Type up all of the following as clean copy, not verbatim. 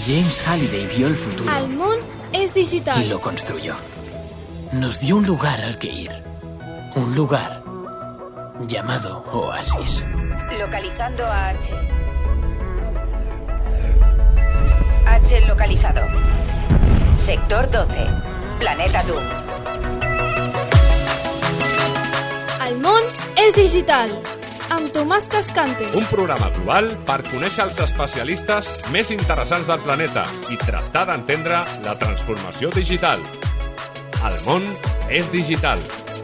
James Halliday vio el futuro. El món es digital. Y lo construyó. Nos dio un lugar al que ir. Un lugar llamado Oasis. Localizando a H. H localizado. Sector 12. Planeta Doom. El món és digital. Amb Tomàs Cascante. Un programa global per conèixer els especialistes més interessants del planeta i tractar d'entendre la transformació digital. El món és digital.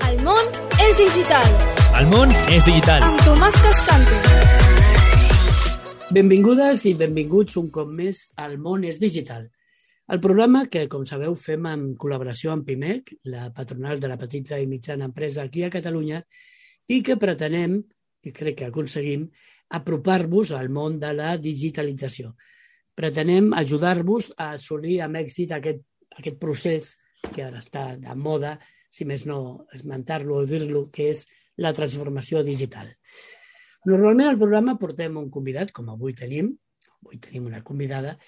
El món és digital. El món és digital. Amb Tomàs Cascante. Benvingudes i benvinguts un cop més al món és digital. El programa que, com sabeu, fem en col·laboració amb PIMEC, la patronal de la petita i mitjana empresa aquí a Catalunya, i que pretenem, i crec que aconseguim, apropar-vos al món de la digitalització. Pretenem ajudar-vos a assolir amb èxit aquest procés que ara està de moda, si més no esmentar-lo o dir-lo, que és la transformació digital. Normalment al programa portem un convidat, com avui tenim una convidada,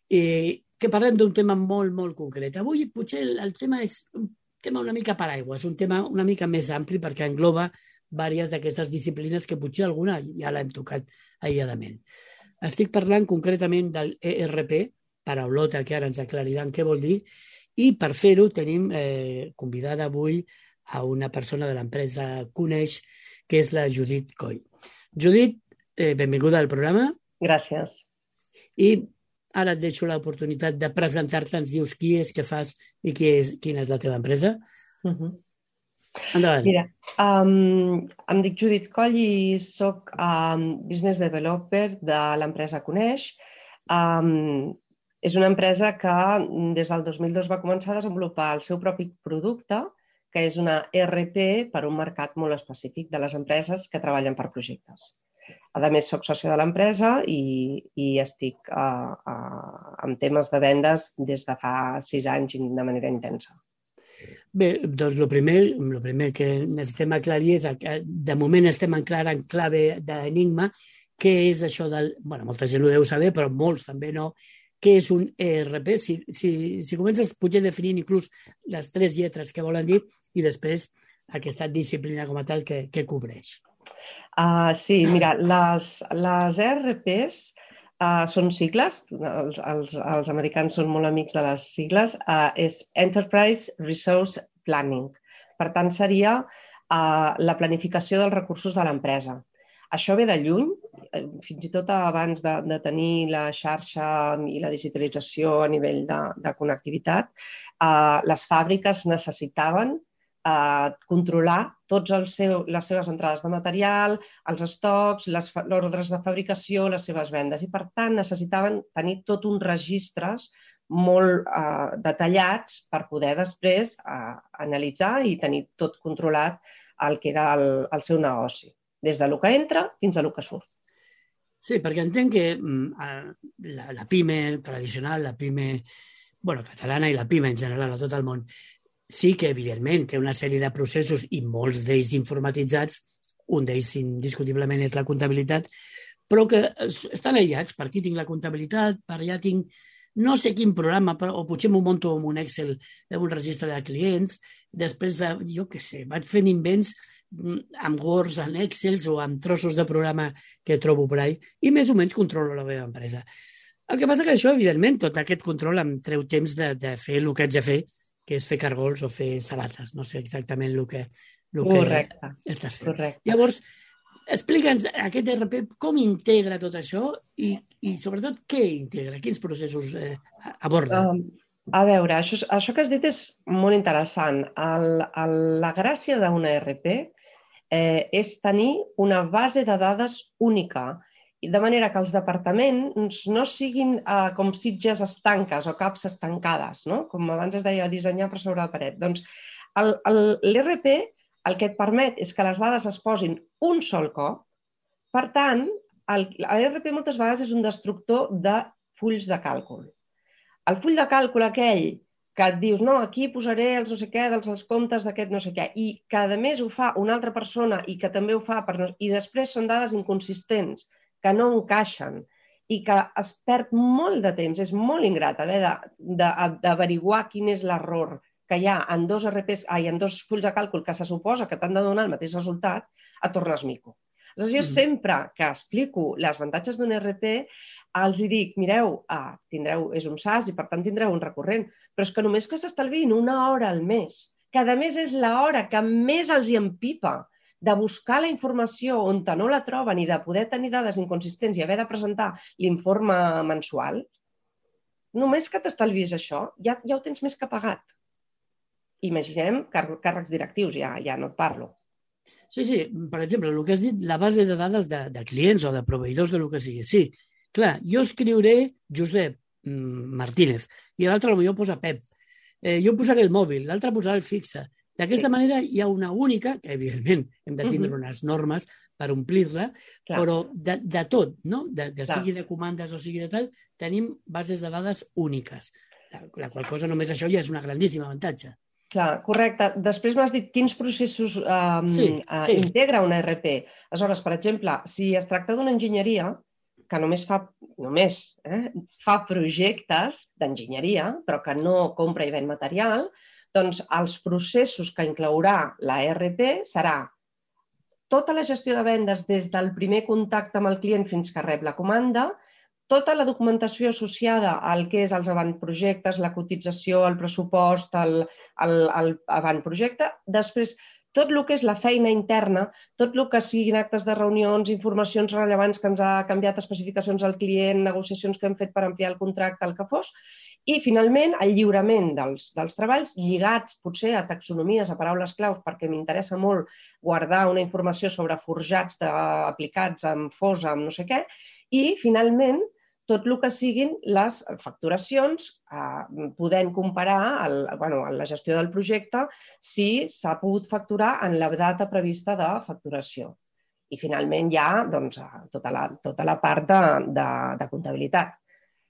que parlem d'un tema molt, molt concret. Avui potser el tema és un tema una mica paraigua, és un tema una mica més ampli perquè engloba diverses d'aquestes disciplines que potser alguna ja l'hem tocat aïlladament. Estic parlant concretament del ERP, paraulota que ara ens aclariran què vol dir, i per fer-ho tenim convidada avui a una persona de l'empresa Coneix, que és la Judit Coll. Judit, benvinguda al programa. Gràcies. I ara et deixo l'oportunitat de presentar-te, ens dius qui és, què fas i quina és la teva empresa. Endavant. Mira, em dic Judit Coll i soc business developer de l'empresa Coneix. És una empresa que des del 2002 va començar a desenvolupar el seu propi producte, que és una ERP per a un mercat molt específic de les empreses que treballen per projectes. A més, soc sòcia de l'empresa i estic en temes de vendes des de fa 6 anys de manera intensa. Bé, doncs el primer que necessitem aclarir és que de moment estem en clave d'enigma, què és això del... Bueno, molta gent ho deu saber, però molts també no. Què és un ERP? Si comences potser definint inclús les 3 lletres que volen dir i després aquesta disciplina com a tal que cobreix. Sí, mira, les ERPs són sigles, els americans són molt amics de les sigles, és Enterprise Resource Planning. Per tant, seria la planificació dels recursos de l'empresa. Això ve de lluny, fins i tot abans de tenir la xarxa i la digitalització a nivell de connectivitat, les fàbriques necessitaven controlar totes les seves entrades de material, els estocs, les ordres de fabricació, les seves vendes. I, per tant, necessitaven tenir tot uns registres molt detallats per poder després analitzar i tenir tot controlat el que era el seu negoci, des del que entra fins a el que surt. Sí, perquè entenc que la PIME tradicional, la PIME catalana i la PIME en general a tot el món, sí que, evidentment, té una sèrie de processos i molts d'ells informatitzats, un d'ells indiscutiblement és la comptabilitat, però que estan aïllats. Per aquí tinc la comptabilitat, per allà tinc no sé quin programa, o potser m'ho monto amb un Excel, amb un registre de clients, després, jo què sé, vaig fent invents amb Words, en Excels o amb trossos de programa que trobo per ahí i més o menys controlo la meva empresa. El que passa que això, evidentment, tot aquest control em treu temps de fer el que haig de fer, que és fer cargols o fer sabates. No sé exactament el que estàs fent. Correcte. Llavors, explica'ns aquest ERP com integra tot això i sobretot què integra, quins processos aborda. A veure, això que has dit és molt interessant. La gràcia d'una ERP és tenir una base de dades única, de manera que els departaments no siguin com sitges estanques o caps estancades, no? Com abans es deia, dissenyar per sobre la paret. Doncs l'ERP el que et permet és que les dades es posin un sol cop. Per tant, l'ERP moltes vegades és un destructor de fulls de càlcul. El full de càlcul aquell que et dius, no, aquí posaré els no sé què, dels comptes d'aquest no sé què, i que a més ho fa una altra persona i que també ho fa, i després són dades inconsistents, que no encaixen i que es perd molt de temps, és molt ingrat haver d'averiguar quin és l'error que hi ha en dos fulls de càlcul que se suposa que t'han de donar el mateix resultat, et tornes mico. Aleshores, jo sempre que explico les avantatges d'un ERP, els dic, mireu, és un SaaS i per tant tindreu un recurrent, però és que només que s'estalviïn 1 hora al mes, que a més és l'hora que més els hi empipa de buscar la informació on no la troben i de poder tenir dades inconsistents i haver de presentar l'informe mensual, només que t'estalvis això, ja ho tens més que pagat. Imaginem càrrecs directius, ja no et parlo. Sí, per exemple, el que has dit, la base de dades de clients o de proveïdors de lo que sigui. Sí, clar, jo escriuré Josep Martínez i l'altre potser posa Pep. Jo posaré el mòbil, l'altre posarà el fixe. D'aquesta manera hi ha una única, que evidentment hem de tindre unes normes per omplir-la, però de tot, no? Sigui de comandes o sigui de tal, tenim bases de dades úniques. La qual cosa només això ja és una grandíssima avantatge. Clar, correcte. Després m'has dit quins processos integra un ERP. Aleshores, per exemple, si es tracta d'una enginyeria que només fa projectes d'enginyeria, però que no compra i ven material, doncs els processos que inclourà la ERP serà tota la gestió de vendes des del primer contacte amb el client fins que rep la comanda, tota la documentació associada al que és els avantprojectes, la cotització, el pressupost, l'avantprojecte. Després, tot el que és la feina interna, tot el que siguin actes de reunions, informacions rellevants que ens ha canviat, especificacions al client, negociacions que hem fet per ampliar el contracte, el que fos. I, finalment, el lliurament dels treballs lligats, potser, a taxonomies, a paraules claus, perquè m'interessa molt guardar una informació sobre forjats aplicats amb fosa, amb no sé què. I, finalment, tot el que siguin les facturacions, podent comparar la gestió del projecte si s'ha pogut facturar en la data prevista de facturació. I finalment hi ha tota la part de comptabilitat.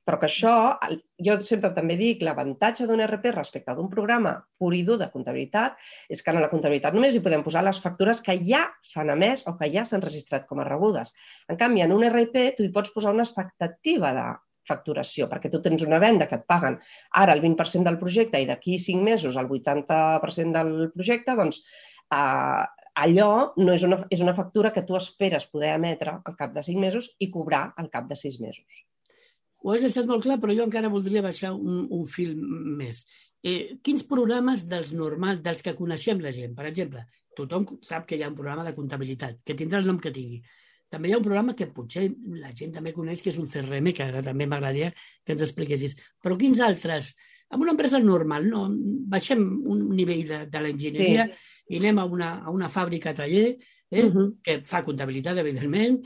Però que això, jo sempre també dic, l'avantatge d'un ERP respecte d'un programa pur i dur de comptabilitat és que en la comptabilitat només hi podem posar les factures que ja s'han emès o que ja s'han registrat com a rebudes. En canvi, en un ERP tu hi pots posar una expectativa de facturació, perquè tu tens una venda que et paguen ara el 20% del projecte i d'aquí 5 mesos el 80% del projecte, doncs allò no és una factura que tu esperes poder emetre al cap de 5 mesos i cobrar al cap de 6 mesos. Ho has deixat molt clar, però jo encara voldria baixar un fil més. Quins programes dels normals, dels que coneixem la gent? Per exemple, tothom sap que hi ha un programa de comptabilitat, que tindrà el nom que tingui. També hi ha un programa que potser la gent també coneix, que és un CRM, que ara també m'agradaria que ens expliquessis. Però quins altres? En una empresa normal, no? Baixem un nivell de l'enginyeria i anem a una fàbrica taller que fa comptabilitat, evidentment,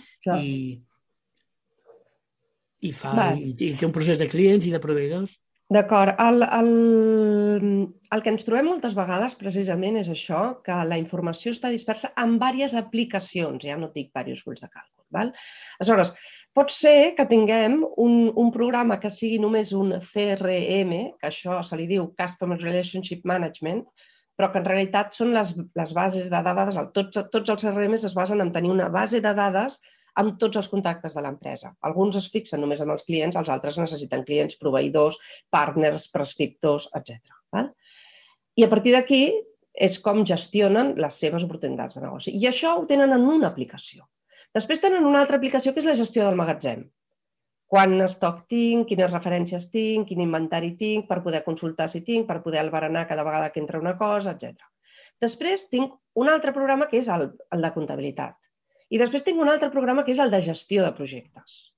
i té un procés de clients i de proveïdors. D'acord. El que ens trobem moltes vegades precisament és això, que la informació està dispersa en diverses aplicacions, ja no et dic diversos fulls de càlcul. Aleshores, pot ser que tinguem un programa que sigui només un CRM, que això se li diu Customer Relationship Management, però que en realitat són les bases de dades, tots els CRMs es basen en tenir una base de dades amb tots els contactes de l'empresa. Alguns es fixen només en els clients, els altres necessiten clients, proveïdors, partners, prescriptors, etc. I a partir d'aquí és com gestionen les seves oportunitats de negoci. I això ho tenen en una aplicació. Després tenen una altra aplicació que és la gestió del magatzem. Quant estoc tinc, quines referències tinc, quin inventari tinc, per poder consultar si tinc, per poder albarenar cada vegada que entra una cosa, etc. Després tinc un altre programa que és el de comptabilitat. I després tinc un altre programa que és el de gestió de projectes.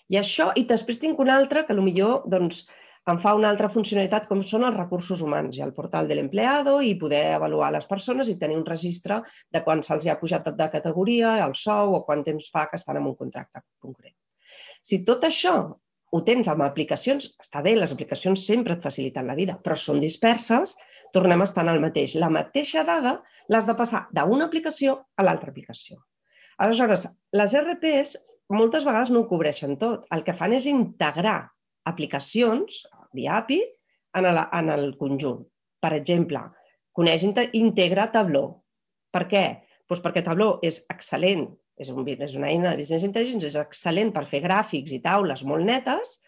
I després tinc un altre que potser em fa una altra funcionalitat com són els recursos humans i el portal de l'empleado i poder avaluar les persones i tenir un registre de quan se'ls ha pujat de categoria, el sou o quant temps fa que estan en un contracte concret. Si tot això ho tens amb aplicacions, està bé, les aplicacions sempre et faciliten la vida, però són disperses, tornem a estar en el mateix. La mateixa dada l'has de passar d'una aplicació a l'altra aplicació. Aleshores, les ERPs moltes vegades no ho cobreixen tot. El que fan és integrar aplicacions via API en el conjunt. Per exemple, integra Tableau. Per què? Doncs perquè Tableau és excel·lent és una eina de business intelligence, és excel·lent per fer gràfics i taules molt netes,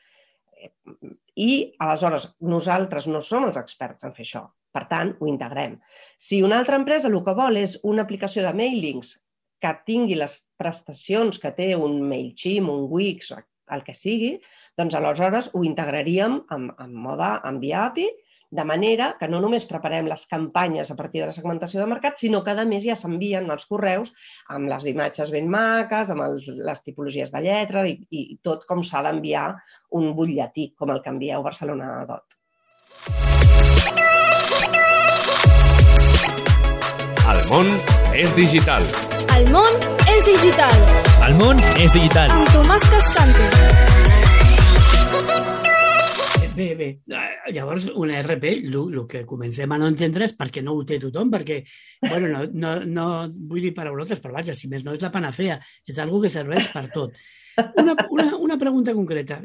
i aleshores nosaltres no som els experts en fer això. Per tant, ho integrem. Si una altra empresa el que vol és una aplicació de mailings que tingui les prestacions que té un MailChimp, un Wix, el que sigui, doncs aleshores ho integraríem en mode enviar API, de manera que no només preparem les campanyes a partir de la segmentació de mercat, sinó que a més ja s'envien els correus amb les imatges ben maques, amb les tipologies de lletra i tot com s'ha d'enviar un butlletí, com el que envieu Barcelona Dot. El món és digital. El món és digital. El món és digital. Amb Tomàs Cascante. Bé. Llavors, una ERP, el que comencem a no entendre és perquè no ho té tothom, perquè, bueno, no vull dir paraulotes, però vaja, si més no és la panacea, és algo que serveix per tot. Una pregunta concreta.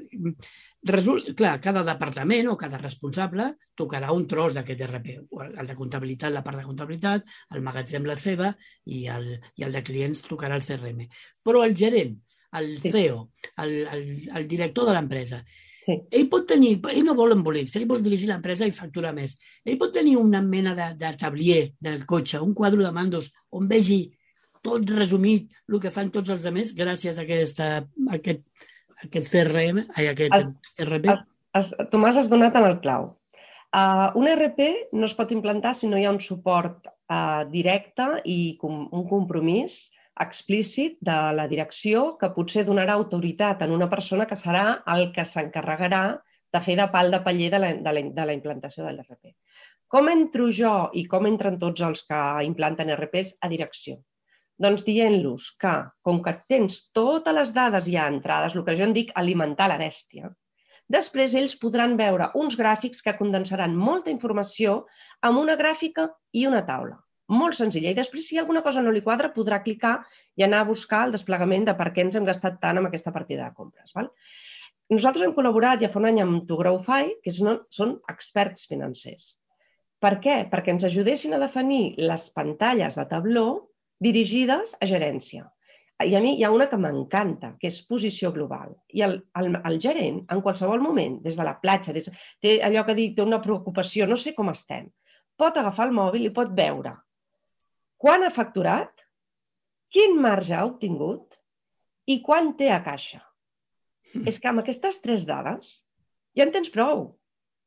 Clar, cada departament o cada responsable tocarà un tros d'aquest ERP. El de comptabilitat, la part de comptabilitat, el magatzem la seva i el de clients tocarà el CRM. Però el gerent, el CEO, el director de l'empresa, ell pot tenir, ell no vol embolics, ell vol dirigir l'empresa i facturar més. Ell pot tenir una mena de tablier del cotxe, un quadre de mandos on vegi tot resumit el que fan tots els altres gràcies a aquest CRM, aquest ERP. Tomàs, has donat en el clau. Un ERP no es pot implantar si no hi ha un suport directe i un compromís explícit de la direcció que potser donarà autoritat en una persona que serà el que s'encarregarà de fer de pal de paller de la implantació de l'ERP. Com entro jo i com entren tots els que implanten ERPs a direcció? Doncs dient-los que, com que tens totes les dades ja entrades, el que jo en dic alimentar la bèstia, després ells podran veure uns gràfics que condensaran molta informació amb una gràfica i una taula. Molt senzilla. I després, si alguna cosa no li quadra, podrà clicar i anar a buscar el desplegament de per què ens hem gastat tant amb aquesta partida de compres. Nosaltres hem col·laborat ja fa un any amb ToGrowFi, que són experts financers. Per què? Perquè ens ajudessin a definir les pantalles de tabló dirigides a gerència. I a mi hi ha una que m'encanta, que és posició global. I el gerent, en qualsevol moment, des de la platja, té allò que dic, té una preocupació, no sé com estem, pot agafar el mòbil i pot veure quan ha facturat, quin marge ha obtingut i quan té a caixa. És que amb aquestes 3 dades ja en tens prou.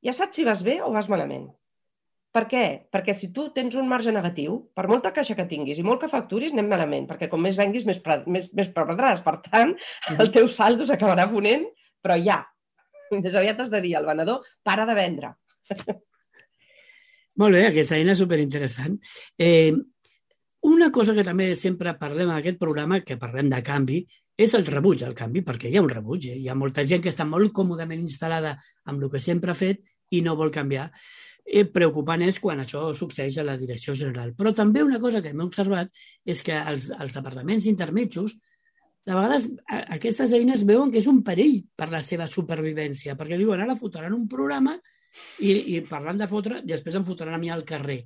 Ja saps si vas bé o vas malament. Per què? Perquè si tu tens un marge negatiu, per molta caixa que tinguis i molt que facturis, anem malament, perquè com més venguis, més perdràs. Per tant, el teu saldo s'acabarà ponent, però ja. Més aviat has de dir al venedor, para de vendre. Molt bé, aquesta eina és superinteressant. Una cosa que també sempre parlem en aquest programa, que parlem de canvi, és el rebuig al canvi, perquè hi ha un rebuig. Hi ha molta gent que està molt còmodament instal·lada amb el que sempre ha fet i no vol canviar. Preocupant és quan això succeeix a la direcció general. Però també una cosa que hem observat és que els departaments intermetjos, de vegades aquestes eines veuen que és un perill per la seva supervivència, perquè diuen, ara fotran un programa i parlant de fotre, després em fotran a mi al carrer.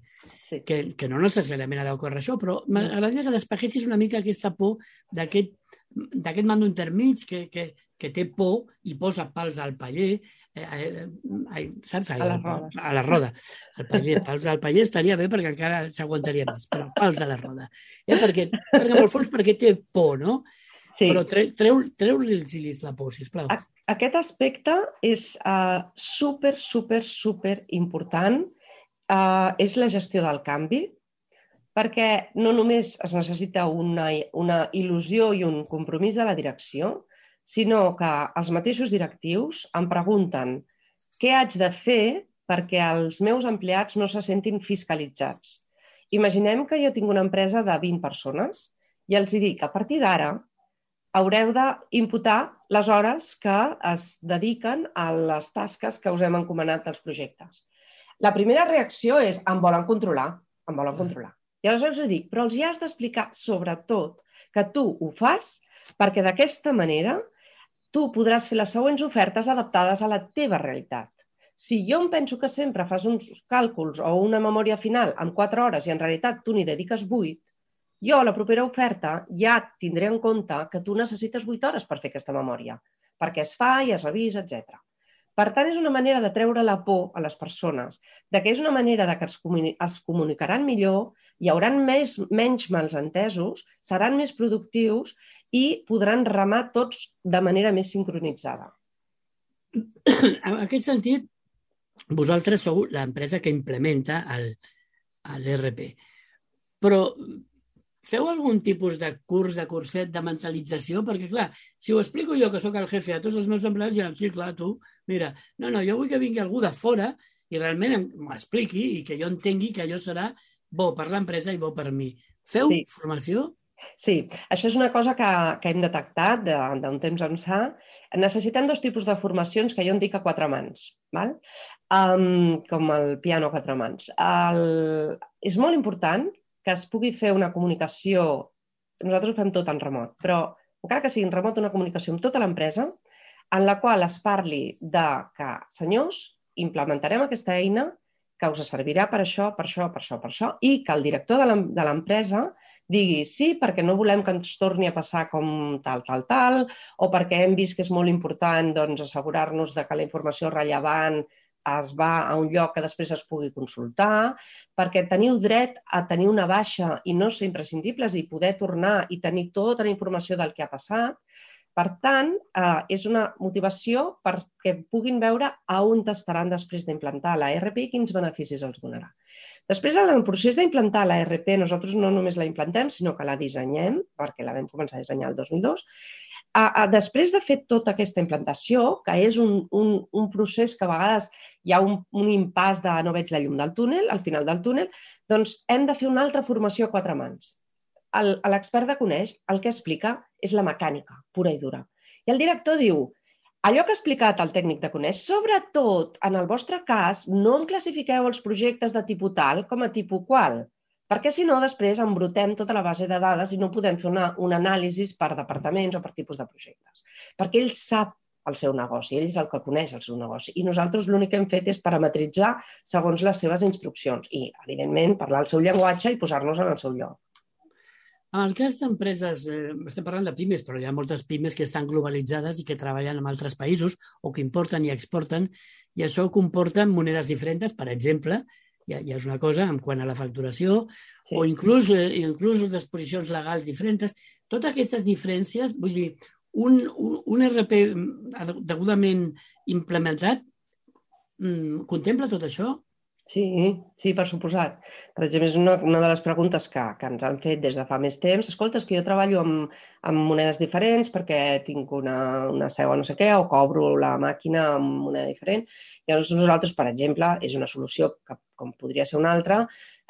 Que no necessàriament ha d'ocórrer això, però m'agradaria que despeguessis una mica aquesta por d'aquest mando intermig que té por i posa pals al paller, saps? A la roda. Pals al paller estaria bé perquè encara s'aguantaria més, però pals a la roda. Perquè en el fons perquè té por, no? Sí. Però treu-li la por, sisplau. Aquest aspecte és super important. És la gestió del canvi, perquè no només es necessita una il·lusió i un compromís de la direcció, sinó que els mateixos directius em pregunten què haig de fer perquè els meus empleats no se sentin fiscalitzats. Imaginem que jo tinc una empresa de 20 persones i els dic que a partir d'ara haureu d'imputar les hores que es dediquen a les tasques que us hem encomanat dels projectes. La primera reacció és, em volen controlar. I aleshores els dic, però els hi has d'explicar sobretot que tu ho fas perquè d'aquesta manera tu podràs fer les següents ofertes adaptades a la teva realitat. Si jo em penso que sempre fas uns càlculs o una memòria final en 4 hores i en realitat tu n'hi dediques 8, Jo, a la propera oferta, ja tindré en compte que tu necessites 8 hores per fer aquesta memòria, perquè es fa i es revisa, etc. Per tant, és una manera de treure la por a les persones, de que és una manera de que es comunicaran millor, hi haurà menys malentesos, seran més productius i podran remar tots de manera més sincronitzada. En aquest sentit, vosaltres sou l'empresa que implementa l'ERP. Però feu algun tipus de curs, de curset, de mentalització? Perquè, clar, si ho explico jo, que sóc el jefe a tots els meus empleats, diran, sí, clar, tu, mira, no, jo vull que vingui algú de fora i realment m'expliqui i que jo entengui que allò serà bo per l'empresa i bo per mi. Feu formació? Sí, això és una cosa que hem detectat d'un temps ençà. Necessitem 2 tipus de formacions que jo en dic a 4 mans, val? Com el piano a 4 mans. És molt important que es pugui fer una comunicació, nosaltres ho fem tot en remot, però encara que sigui en remot, una comunicació amb tota l'empresa en la qual es parli de que, senyors, implementarem aquesta eina que us servirà per això, per això, per això, per això, i que el director de l'empresa digui sí, perquè no volem que ens torni a passar com tal, o perquè hem vist que és molt important assegurar-nos que la informació rellevant es va a un lloc que després es pugui consultar, perquè teniu dret a tenir una baixa i no ser imprescindibles i poder tornar i tenir tota la informació del que ha passat. Per tant, és una motivació perquè puguin veure on estaran després d'implantar l'ERP i quins beneficis els donarà. Després, en el procés d'implantar l'ERP, nosaltres no només la implantem, sinó que la dissenyem, perquè la vam començar a dissenyar el 2002. Després de fer tota aquesta implantació, que és un procés que a vegades hi ha un impàs de no veig la llum del túnel, al final del túnel, doncs hem de fer una altra formació a 4 mans. L'expert de Coneix el que explica és la mecànica, pura i dura. I el director diu, allò que ha explicat el tècnic de Coneix, sobretot en el vostre cas, no em classifiqueu els projectes de tipus tal com a tipus qual, perquè si no després embrutem tota la base de dades i no podem fer un anàlisi per departaments o per tipus de projectes. Perquè ell sap el seu negoci, ell és el que coneix el seu negoci i nosaltres l'únic que hem fet és parametritzar segons les seves instruccions i, evidentment, parlar el seu llenguatge i posar-nos en el seu lloc. En el cas d'empreses, estem parlant de pimes, però hi ha moltes pimes que estan globalitzades i que treballen en altres països o que importen i exporten i això comporta monedes diferents, per exemple, ja és una cosa en quant a la facturació o inclús disposicions legals diferents. Totes aquestes diferències, vull dir, un RP degudament implementat contempla tot això? Sí, per suposat. Per exemple, és una de les preguntes que ens han fet des de fa més temps. Escolta, és que jo treballo amb monedes diferents perquè tinc una seu o no sé què, o cobro la màquina amb moneda diferent. Llavors, nosaltres, per exemple, és una solució que, com podria ser una altra,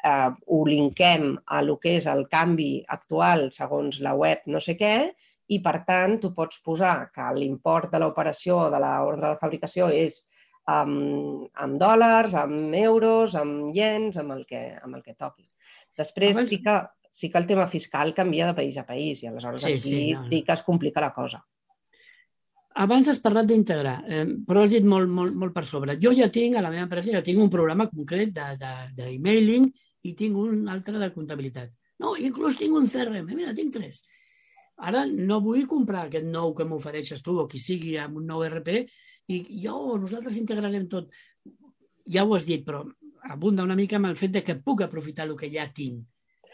ho linkem a lo que és el canvi actual segons la web no sé què, i per tant tu pots posar que l'import de l'operació de l'ordre de fabricació és amb dòlars, amb euros, amb iens, amb el que toqui. Després sí que el tema fiscal canvia de país a país i aleshores aquí sí que es complica la cosa. Abans has parlat d'integrar, però has dit molt per sobre. Jo ja tinc, a la meva empresa, ja tinc un programa concret d'emailing i tinc un altre de comptabilitat. No, inclús tinc un CRM, mira, tinc 3. Ara no vull comprar aquest nou que m'ofereixes tu o qui sigui amb un nou RP i nosaltres integrarem tot. Ja ho has dit, però abunda una mica amb el fet que puc aprofitar el que ja tinc,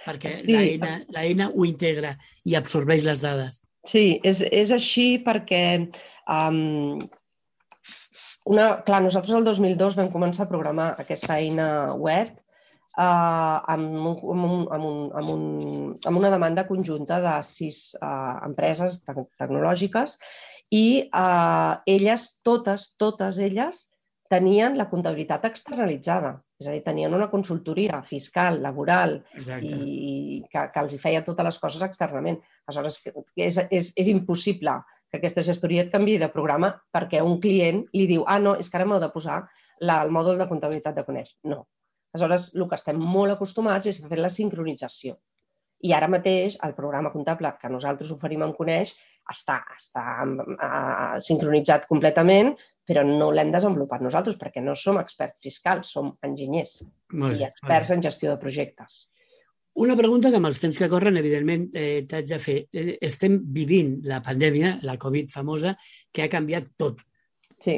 perquè l'eina ho integra i absorbeix les dades. Sí, és així perquè nosaltres el 2002 vam començar a programar aquesta eina web amb una demanda conjunta de 6 empreses tecnològiques i elles, totes elles, tenien la comptabilitat externalitzada. És a dir, tenien una consultoria fiscal, laboral, i que els feia totes les coses externament. Aleshores, és impossible que aquesta gestoria et canviï de programa perquè un client li diu no, és que ara m'heu de posar el mòdul de comptabilitat de Coneix. No. Aleshores, el que estem molt acostumats és a fer la sincronització. I ara mateix el programa comptable que nosaltres oferim en Coneix està sincronitzat completament, però no l'hem desenvolupat nosaltres perquè no som experts fiscals, som enginyers i experts en gestió de projectes. Una pregunta que amb els temps que corren, evidentment, t'haig de fer. Estem vivint la pandèmia, la Covid famosa, que ha canviat tot. Sí.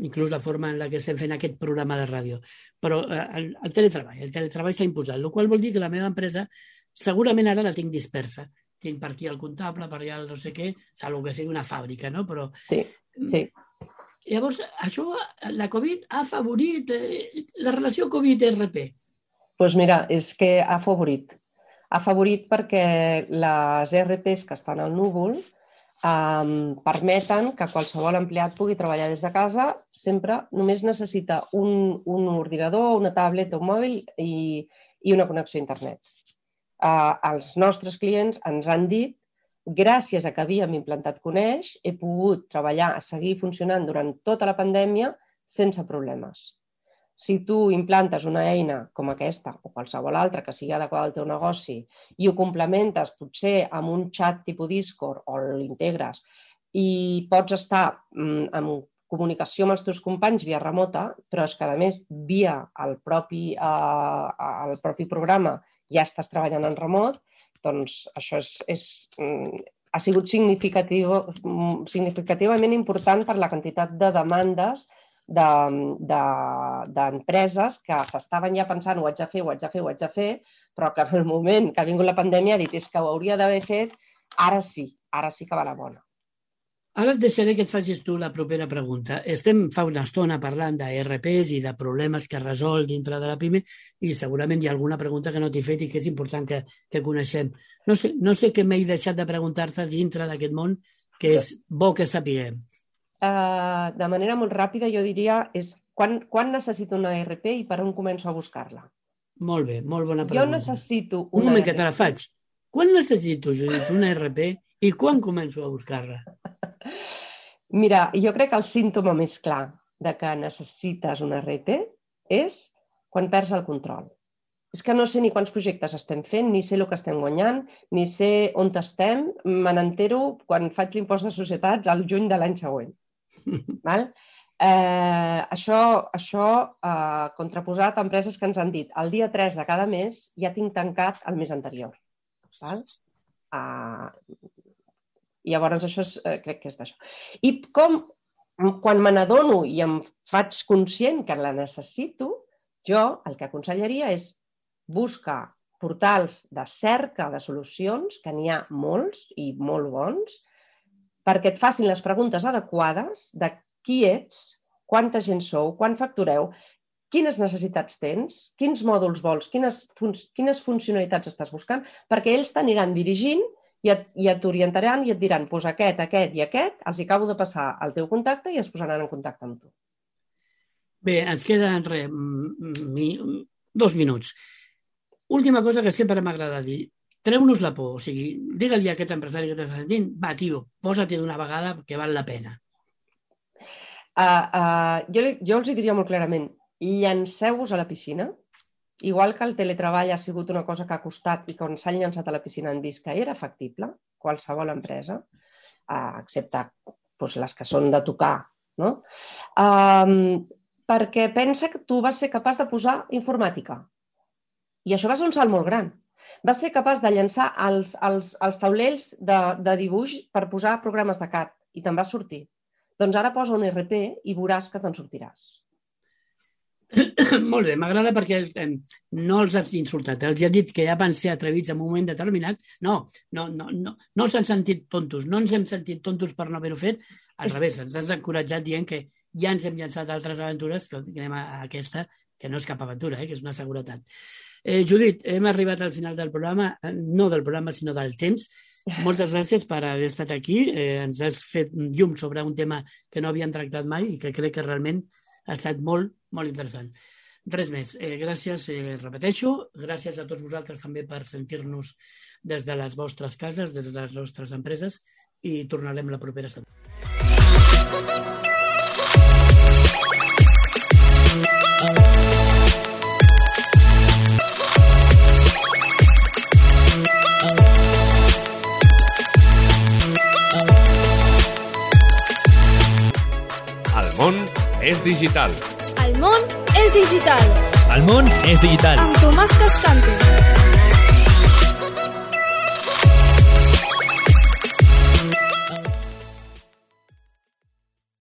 Inclús la forma en la que estem fent aquest programa de ràdio. Però el teletreball s'ha imposat, el qual vol dir que la meva empresa segurament ara la tinc dispersa. Tinc per aquí el comptable, per allà el no sé què, salvo que sigui una fàbrica, no? Però... Sí. Llavors, això, la Covid ha afavorit la relació Covid-RP. Doncs mira, és que ha afavorit. Ha afavorit perquè les ERPs que estan al núvol permeten que qualsevol empleat pugui treballar des de casa, sempre només necessita un ordinador, una tablet o un mòbil i una connexió a internet. Els nostres clients ens han dit, gràcies a que havíem implantat Coneix, he pogut treballar, seguir funcionant durant tota la pandèmia sense problemes. Si tu implantes una eina com aquesta o qualsevol altra que sigui adequada al teu negoci i ho complementes potser amb un xat tipus Discord o l'integres i pots estar en comunicació amb els teus companys via remota, però és que a més via el propi programa ja estàs treballant en remot, doncs això ha sigut significativament important per la quantitat de demandes d'empreses que s'estaven ja pensant ho haig de fer, però que en el moment que ha vingut la pandèmia ha dit és que ho hauria d'haver fet, ara sí que va la bona. Ara et deixaré que et facis tu la propera pregunta. Estem fa una estona parlant d'ERPs i de problemes que resol dintre de la PIME i segurament hi ha alguna pregunta que no t'he fet i que és important que coneixem. No sé què m'he deixat de preguntar-te dintre d'aquest món que és bo que sapiguem. De manera molt ràpida jo diria és quan necessito una ERP i per on començo a buscar-la? Molt bé, molt bona pregunta. Jo necessito una Un moment ERP. que te la faig. Quan necessito, Judit, una ERP i quan començo a buscar-la? Mira, jo crec que el símptoma més clar de que necessites una ERP és quan perds el control. És que no sé ni quants projectes estem fent, ni sé el que estem guanyant, ni sé on estem. Me n'entero quan faig l'impost de societats al juny de l'any següent. Val? Això contraposat a empreses que ens han dit el dia 3 de cada mes ja tinc tancat el mes anterior. Val? Llavors això crec que és d'això. I quan me n'adono i em faig conscient que la necessito, jo el que aconsellaria és buscar portals de cerca de solucions, que n'hi ha molts i molt bons, perquè et facin les preguntes adequades de qui ets, quanta gent sou, quan factureu, quines necessitats tens, quins mòduls vols, quines funcionalitats estàs buscant, perquè ells t'aniran dirigint i t'orientaran i et diran doncs aquest i aquest, els acabo de passar el teu contacte i es posaran en contacte amb tu. Bé, ens queden 2 minuts. Última cosa que sempre m'agrada dir. Treu-nos la por. O sigui, digue-li a aquest empresari que t'està sentint, va, tio, posa-t'hi d'una vegada que val la pena. Jo els diria molt clarament, llanceu-vos a la piscina. Igual que el teletreball ha sigut una cosa que ha costat i quan s'han llançat a la piscina han vist que era factible, qualsevol empresa, excepte les que són de tocar, no? Perquè pensa que tu vas ser capaç de posar informàtica. I això va ser un salt molt gran. Vas ser capaç de llançar els taulells de dibuix per posar programes de CAD i te'n vas sortir. Doncs ara posa un ERP i veuràs que te'n sortiràs. Molt bé, m'agrada perquè no els has insultat, els has dit que ja van ser atrevits en un moment determinat. No s'han sentit tontos, no ens hem sentit tontos per no haver-ho fet, al revés, ens has encoratjat dient que ja ens hem llançat altres aventures, que anem a aquesta, que no és cap aventura, que és una seguretat. Judit, hem arribat al final del programa, no del programa, sinó del temps. Moltes gràcies per haver estat aquí. Ens has fet llum sobre un tema que no havíem tractat mai i que crec que realment ha estat molt, molt interessant. Res més. Gràcies, repeteixo. Gràcies a tots vosaltres també per sentir-nos des de les vostres cases, des de les nostres empreses i tornarem la propera setmana. El món és digital. El món és digital. El món és digital. Amb Tomàs Cascante.